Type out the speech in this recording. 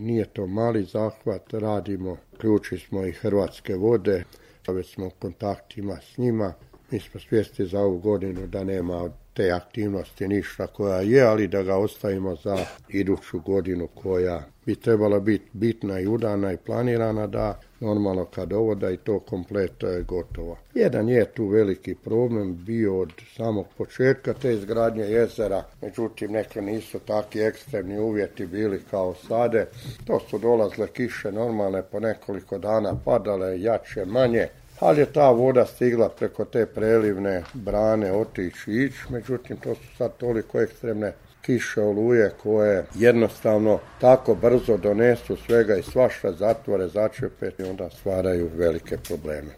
Nije to mali zahvat, radimo, ključi smo i Hrvatske vode, već smo u kontaktima s njima. Mi smo svjesni za ovu godinu da nema od te aktivnosti ništa koja je, ali da ga ostavimo za iduću godinu koja bi trebala biti bitna i udana i planirana, da normalno kad ovo da i to komplet je gotovo. Jedan je tu veliki problem bio od samog početka te izgradnje jezera, međutim neki nisu takvi ekstremni uvjeti bili kao sade. To su dolazle kiše normalne, po nekoliko dana padale, jače, manje, ali je ta voda stigla preko te prelivne brane otići i ići, međutim to su sad toliko ekstremne kiše, oluje koje jednostavno tako brzo donesu svega i svašta, zatvore, začepe i onda stvaraju velike probleme.